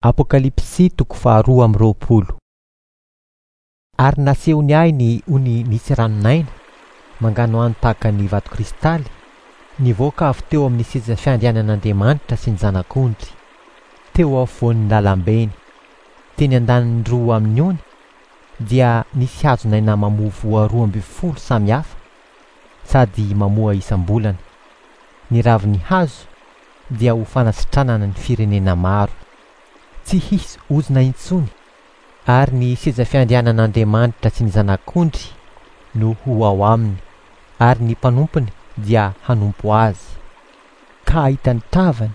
Apokalypsy toko faharoa amby 20. Ary nasehony ahy ny ony nisy ranon'aina, manganohano tahaka ny vato kristaly, nivoaka avy teo amin'ny seza fiandrianan'Andriamanitra sy ny Zanak'ondry, teo afovoan'ny lalambeny. Teny an-daniny roa amin'ny ony dia nisy hazon'aina mamoa voa 12 samy hafa, sady mamoa isam-bolana. Ny ravin'ny hazo dia ho fanasitranana ny firenena maro. Tsy hisy ozona intsony, ary ny seza fiandrianan'Andriamanitra sy ny Zanak'ondry no ho ao aminy, ary ny mpanompony dia hanompo azy, ka hahita ny tavany,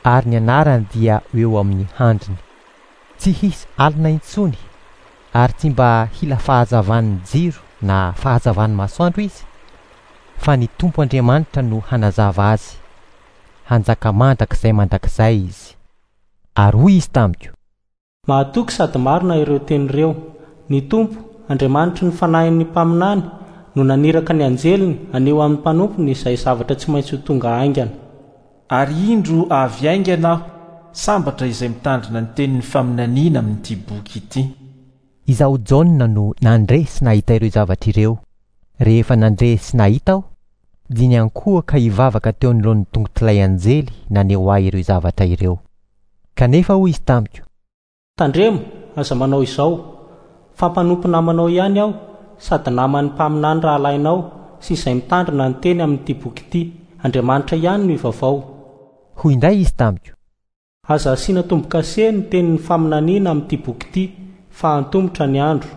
ary ny anarany dia ho eo amin'ny handriny. Tsy hisy alina intsony, ary tsy mba hila fahazavan'ny jiro na fahazavan'ny masoandro izy, fa ny Tompo Andriamanitra no hanazava azy. Hanjaka mandrakizay mandrakizay izy. Ary hoy izy tamiko. Mahatoky sady marina ireo teny ireo. Ny Tompo, Andriamanitry ny fanahin'ny mpaminany, no naniraka ny anjeliny haneho amin'ny mpanompony izay zavatra tsy maintsy ho tonga haingana. Ary indro avy haingana aho, sambatra izay mitandrina ny tenin'ny faminaniana amin'ity boky ity. Izaho Jaona no nandre sy nahita ireo zavatra ireo. Rehefa nandre sy nahita aho, dia niankohoka hivavaka teo anoloan'ny tongotr'ilay anjely naneho ahy ireo zavatra ireo. Kanefa hoy izy tamiko. Tandremo, aza manao izao, fa mpanompo namanao ihany aho, sady naman'ny mpaminany rahalahinao sy izay mitandrina ny teny amin'ity boky ity. Andriamanitra ihany no ivavao. Hoy indray izy tamiko. Aza asiana tombo-kase ny tenin'ny faminaniana amin'ity boky ity, fa antomotra ny andro.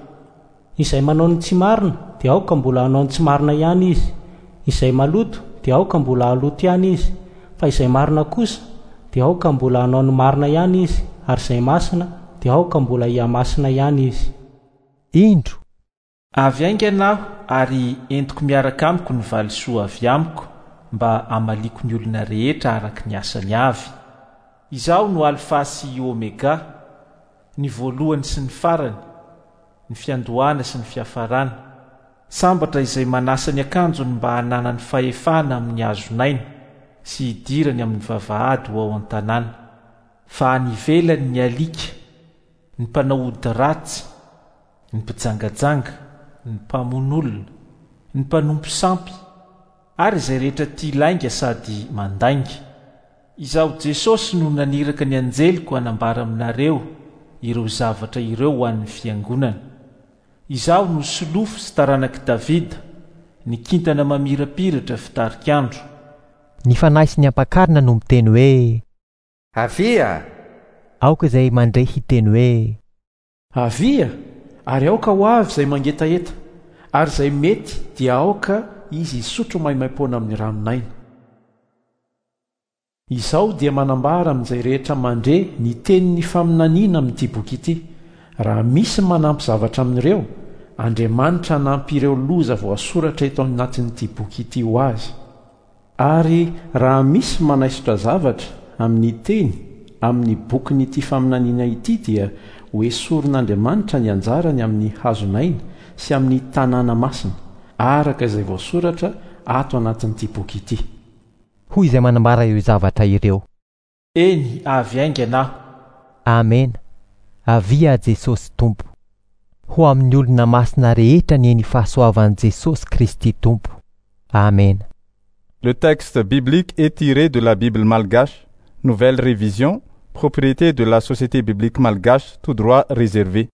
Izay manao ny tsy marina dia aoka mbola hanao ny tsy marina ihany izy, izay maloto dia aoka mbola haloto ihany izy, fa izay marina kosa dia aoka mbola hanao ny marina ihany izy, ary izay masina dia aoka mbola hihamasina ihany izy. Indro! Avy haingana aho ary entiko miaraka amiko ny valisoa avy amiko mba hamaliako ny olona rehetra araka ny asany avy. Izaho no Alfa sy i Omega, ny voalohany sy ny farany, ny fiandohana sy ny fiafarana. Sambatra izay manasa ny akanjony mba hananany fahefana amin'ny hazon'aina sy hidirany amin'ny vavahady ho ao an-tanàna. Fa any ivelany ny alika, ny mpanao ody ratsy, ny mpijangajanga, ny mpamono olona, ny mpanompo sampy, ary izay rehetra tia lainga sady mandainga. Izaho Jesosy no naniraka ny anjeliko hanambara aminareo ireo zavatra ireo ho an'ny fiangonana. Izaho no solofo sy taranak'i Davida, ny kintana mamirapiratra fitarik'andro. Ny Fanahy sy ny Ampakarina no miteny hoe. Avia! Aoka izay mandre hiteny hoe. Avia! Ary aoka ho avy izay mangetaheta, ary izay mety dia aoka izy hisotro maimaimpoana amin'ny ranon'aina. Izaho dia manambara amin'izay rehetra mandre ny tenin'ny faminaniana amin'ity boky ity, raha misy manampy zavatra amin'ireo, Andriamanitra hanampy ireo loza voasoratra eto anatin'ity boky ity ho azy. Ary raha misy manaisotra zavatra amin'ny teny amin'ny bokin'ity faminaniana ity dia hoesorin'Andriamanitra ny anjarany amin'ny hazon'aina sy amin'ny tanàna masina, araka izay voasoratra ato anatin'ity boky ity. Hoy izay manambara ireo zavatra ireo. Eny, avy haingana aho. Amena. Avia Jesosy Tompo. Ho amin'ny olona masina rehetra anie ny fahasoavan'i Jesosy Kristy Tompo. Amena. Le texte biblique est tiré de la Bible malgache, Nouvelle Révision, propriété de la Société biblique malgache, tout droit réservé.